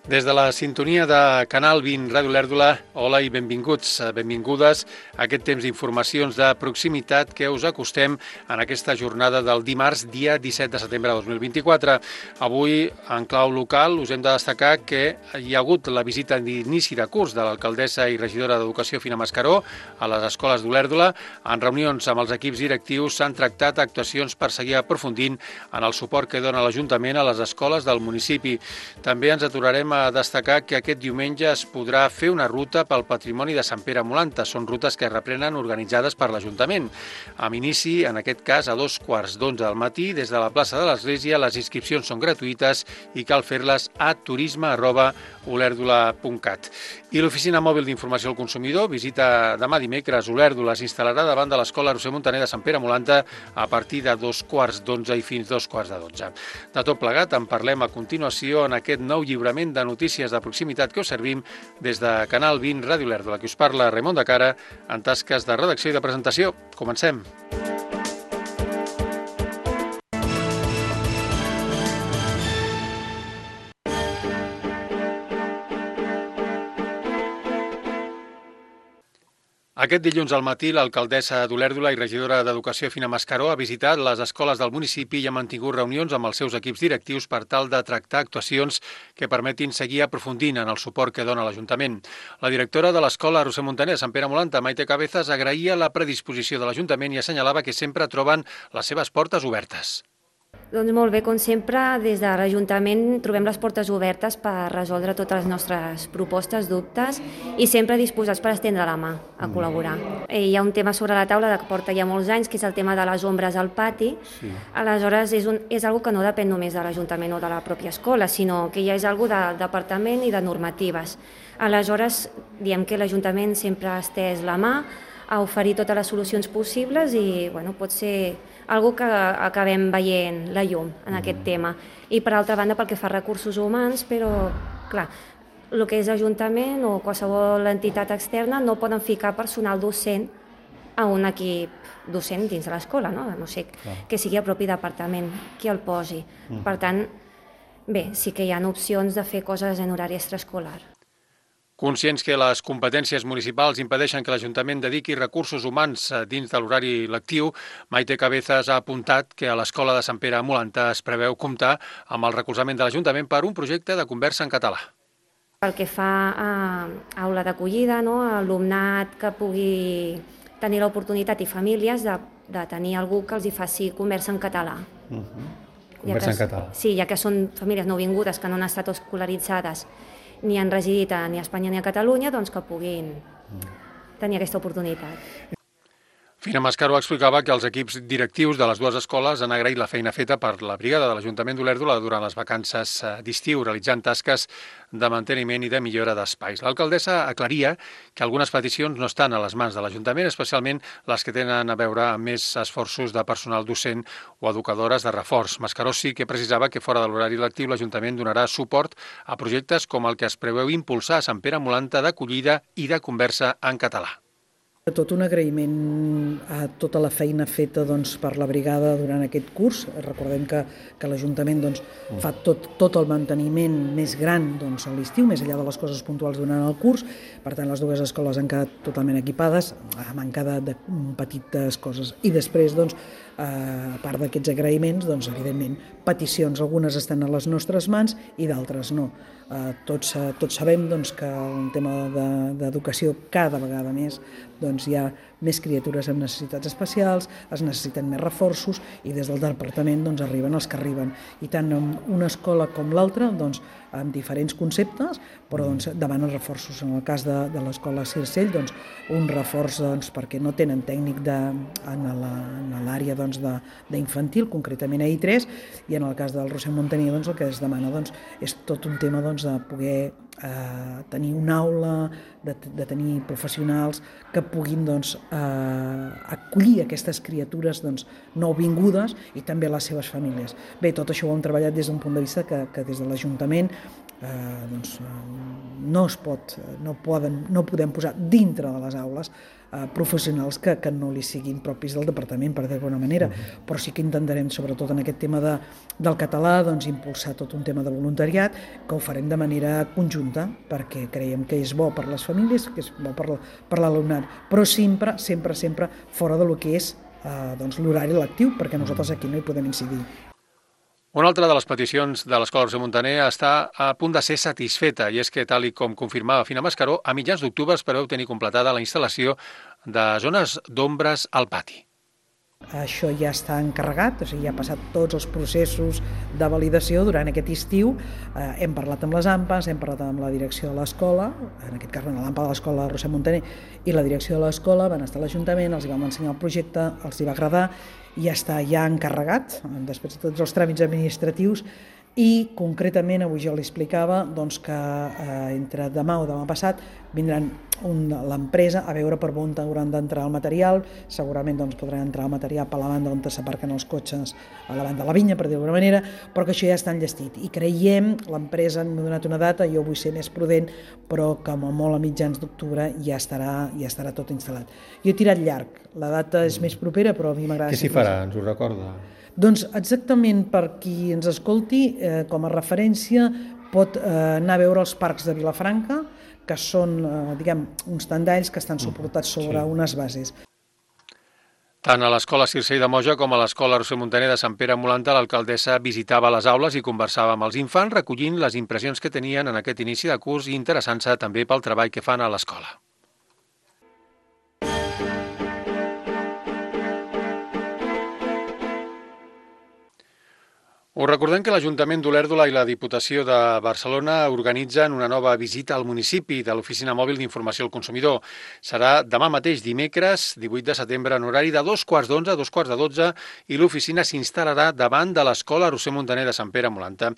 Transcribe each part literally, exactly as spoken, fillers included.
Des de la sintonia de Canal vint Ràdio Olèrdola, hola i benvinguts, benvingudes a aquest temps d'informacions de proximitat que us acostem en aquesta jornada del dimarts, dia disset de setembre de dos mil vint-i-quatre. Avui, en clau local, us hem de destacar que hi ha hagut la visita d'inici de curs de l'alcaldessa i regidora d'Educació, Fina Mascaró, a les escoles d'Olèrdola. En reunions amb els equips directius s'han tractat actuacions per seguir aprofundint en el suport que dona l'Ajuntament a les escoles del municipi. També ens aturarem a a destacar que aquest diumenge es podrà fer una ruta pel patrimoni de Sant Pere Molanta. Són rutes que es reprenen organitzades per l'Ajuntament. Amb inici, en aquest cas, a dos quarts d'onze del matí, des de la plaça de l'Església, les inscripcions són gratuïtes i cal fer-les a turisme arroba olèrdola punt cat. I l'Oficina Mòbil d'Informació al Consumidor visita demà dimecres Olèrdola. S'instal·larà davant de l'Escola Roser Montaner de Sant Pere Molanta a partir de dos quarts d'onze i fins dos quarts de dotze. De tot plegat en parlem a continuació en aquest nou lliurament de notícies de proximitat que us servim des de Canal vint Ràdio Olèrdola, que us parla Raimon de Cara en tasques de redacció i de presentació. Comencem. Aquest dilluns al matí, l'alcaldessa d'Olèrdola i regidora d'Educació, Fina Mascaró, ha visitat les escoles del municipi i ha mantingut reunions amb els seus equips directius per tal de tractar actuacions que permetin seguir aprofundint en el suport que dona l'Ajuntament. La directora de l'Escola Roser Montaner de Sant Pere Molanta, Maite Cabezas, agraïa la predisposició de l'Ajuntament i assenyalava que sempre troben les seves portes obertes. Doncs molt bé, com sempre, des de l'Ajuntament trobem les portes obertes per resoldre totes les nostres propostes, dubtes i sempre disposats per estendre la mà a col·laborar. Hi ha un tema sobre la taula que porta ja molts anys, que és el tema de les ombres al pati. Sí. Aleshores, és, un, és una cosa que no depèn només de l'Ajuntament o de la pròpia escola, sinó que ja és una cosa del departament i de normatives. Aleshores, diem que l'Ajuntament sempre ha estès la mà a oferir totes les solucions possibles i bueno, pot ser algo que acabem veient la llum en aquest tema. I per altra banda, pel que fa a recursos humans, però clar, el que és Ajuntament o qualsevol entitat externa no poden ficar personal docent a un equip docent dins de l'escola, no? No sé, que sigui el propi departament qui el posi. Per tant, bé, sí que hi ha opcions de fer coses en horari extraescolar. Conscients que les competències municipals impedeixen que l'Ajuntament dediqui recursos humans dins de l'horari lectiu, Maite Cabezas ha apuntat que a l'Escola de Sant Pere Molanta es preveu comptar amb el recolzament de l'Ajuntament per un projecte de conversa en català. Pel que fa a aula d'acollida, no? Alumnat que pugui tenir l'oportunitat i famílies de, de tenir algú que els hi faci conversa en català. Uh-huh. Conversa ja que, en català. Sí, ja que són famílies nouvingudes que no han estat escolaritzades ni han residit ni a Espanya ni a Catalunya, doncs que puguin tenir aquesta oportunitat. Fina Mascaró explicava que els equips directius de les dues escoles han agraït la feina feta per la brigada de l'Ajuntament d'Olèrdola durant les vacances d'estiu, realitzant tasques de manteniment i de millora d'espais. L'alcaldessa aclaria que algunes peticions no estan a les mans de l'Ajuntament, especialment les que tenen a veure amb més esforços de personal docent o educadores de reforç. Mascaró sí que precisava que fora de l'horari lectiu l'Ajuntament donarà suport a projectes com el que es preveu impulsar a Sant Pere Molanta d'acollida i de conversa en català. Tot un agraïment a tota la feina feta doncs, per la brigada durant aquest curs. Recordem que, que l'Ajuntament doncs, fa tot, tot el manteniment més gran doncs, a l'estiu, més enllà de les coses puntuals durant el curs. Per tant, les dues escoles han quedat totalment equipades, a manca de, de petites coses. I després, doncs, a part d'aquests agraïments, doncs, evidentment, peticions. Algunes estan a les nostres mans i d'altres no. Uh, tots, uh, tots sabem doncs, que el tema d'educació de, cada vegada més doncs, hi ha més criatures amb necessitats especials, es necessiten més reforços i des del departament doncs, arriben els que arriben. I tant en una escola com l'altra, doncs, amb diferents conceptes, però doncs, demanen reforços. En el cas de, de l'escola Circell, doncs, un reforç doncs, perquè no tenen tècnic de, en l'àrea doncs, d'infantil, concretament a I tres, i en el cas del Roser Montaner doncs, el que es demana doncs, és tot un tema doncs, de poder eh, tenir una aula, de, de tenir professionals que puguin doncs, eh, acollir aquestes criatures doncs, nouvingudes i també les seves famílies. Bé, tot això ho hem treballat des d'un punt de vista que, que des de l'Ajuntament eh, doncs, no es pot, no, poden, no podem posar dintre de les aules eh, professionals que, que no li siguin propis del departament, per dir d'alguna manera, uh-huh. Però sí que intentarem, sobretot en aquest tema de, del català, doncs, impulsar tot un tema de voluntariat, que ho farem de manera conjunta, perquè creiem que és bo per les famílies, que és bo per, per l'alumnat, però sempre, sempre, sempre fora de lo que és eh, doncs, l'horari lectiu, perquè nosaltres aquí no hi podem incidir. Una altra de les peticions de l'Escola Roser Muntaner està a punt de ser satisfeta, i és que, tal i com confirmava Fina Mascaró, a mitjans d'octubre es preveu tenir completada la instal·lació de zones d'ombres al pati. Això ja està encarregat, o sigui, ja ha passat tots els processos de validació durant aquest estiu. Eh, hem parlat amb les AMPAs, hem parlat amb la direcció de l'escola, en aquest cas l'AMPA de l'Escola Roser Muntaner i la direcció de l'escola, van estar a l'Ajuntament, els vam ensenyar el projecte, els hi va agradar, i ja està ja encarregat, després de tots els tràmits administratius, i concretament avui jo li explicava doncs, que eh, entre demà o demà passat vindran un, l'empresa a veure per on hauran d'entrar el material. Segurament doncs, podran entrar el material per la banda on s'aparquen els cotxes, a la banda de la vinya, per dir d'alguna manera, però que això ja està enllestit. I creiem, l'empresa m'ha donat una data, jo vull ser més prudent, però que com a molt a mitjans d'octubre ja estarà, ja estarà tot instal·lat. Jo he tirat llarg, la data és més propera, però a mi m'agrada... Què s'hi farà, ens ho recorda? Doncs exactament per qui ens escolti, eh, com a referència, pot eh, anar a veure els parcs de Vilafranca, que són, eh, diguem, uns tendalls que estan suportats sobre sí. unes bases. Tant a l'Escola Circell de Moja com a l'Escola Roser Muntaner de Sant Pere Molanta, l'alcaldessa visitava les aules i conversava amb els infants, recollint les impressions que tenien en aquest inici de curs i interessant-se també pel treball que fan a l'escola. Us recordem que l'Ajuntament d'Olèrdola i la Diputació de Barcelona organitzen una nova visita al municipi de l'Oficina Mòbil d'Informació al Consumidor. Serà demà mateix, dimecres, divuit de setembre, en horari de dos quarts d'onze a dos quarts de dotze, i l'oficina s'instal·larà davant de l'Escola Roser Muntaner de Sant Pere Molanta.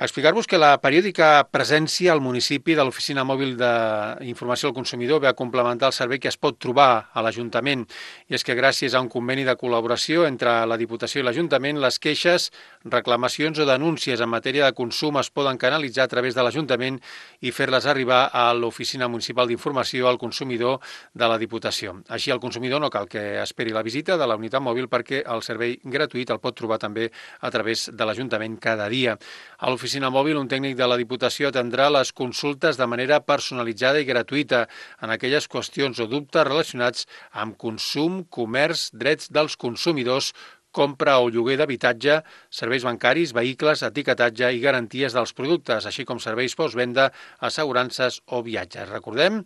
Explicar-vos que la periòdica presència al municipi de l'Oficina Mòbil d'Informació al Consumidor ve a complementar el servei que es pot trobar a l'Ajuntament. I és que gràcies a un conveni de col·laboració entre la Diputació i l'Ajuntament, les queixes, reclamacions o denúncies en matèria de consum es poden canalitzar a través de l'Ajuntament i fer-les arribar a l'Oficina Municipal d'Informació al Consumidor de la Diputació. Així, el consumidor no cal que esperi la visita de la unitat mòbil, perquè el servei gratuït el pot trobar també a través de l'Ajuntament cada dia. A l'Oficina Mòbil, un tècnic de la Diputació atendrà les consultes de manera personalitzada i gratuïta en aquelles qüestions o dubtes relacionats amb consum, comerç, drets dels consumidors, compra o lloguer d'habitatge, serveis bancaris, vehicles, etiquetatge i garanties dels productes, així com serveis postvenda, assegurances o viatges. Recordem,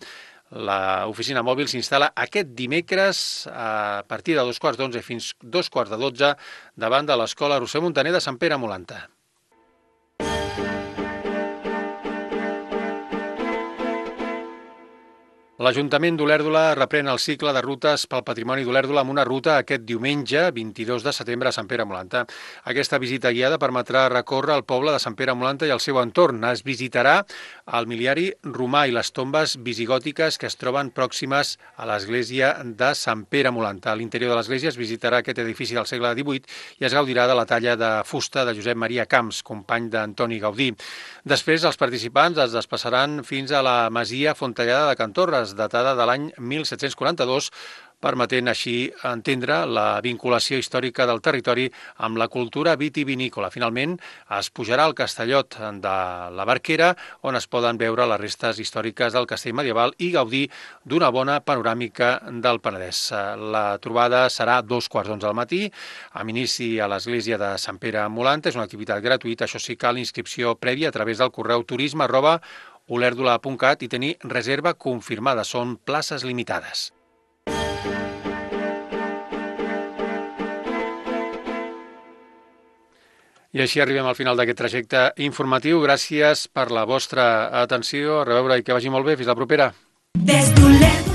l'oficina mòbil s'instal·la aquest dimecres a partir de dos quarts d'onze fins dos quarts de dotze davant de l'Escola Roser Muntaner de Sant Pere Molanta. L'Ajuntament d'Olèrdola reprèn el cicle de rutes pel patrimoni d'Olèrdola amb una ruta aquest diumenge, vint-i-dos de setembre, a Sant Pere Molanta. Aquesta visita guiada permetrà recórrer el poble de Sant Pere Molanta i el seu entorn. Es visitarà el miliari romà i les tombes visigòtiques que es troben pròximes a l'església de Sant Pere Molanta. A l'interior de l'església es visitarà aquest edifici del segle divuit i es gaudirà de la talla de fusta de Josep Maria Camps, company d'Antoni Gaudí. Després, els participants es desplaçaran fins a la masia Fontellada de Can Torres, datada de l'any mil set-cents quaranta-dos, permetent així entendre la vinculació històrica del territori amb la cultura vitivinícola. Finalment, es pujarà al Castellot de la Barquera, on es poden veure les restes històriques del castell medieval i gaudir d'una bona panoràmica del Penedès. La trobada serà a dos quarts d'onze del matí, amb inici a l'església de Sant Pere Molanta. És una activitat gratuïta, això sí, cal inscripció prèvia a través del correu turisme arroba olèrdola punt cat i tenir reserva confirmada. Són places limitades. I així arribem al final d'aquest trajecte informatiu. Gràcies per la vostra atenció. A reveure i que vagi molt bé. Fins la propera. Des d'Olèrdola.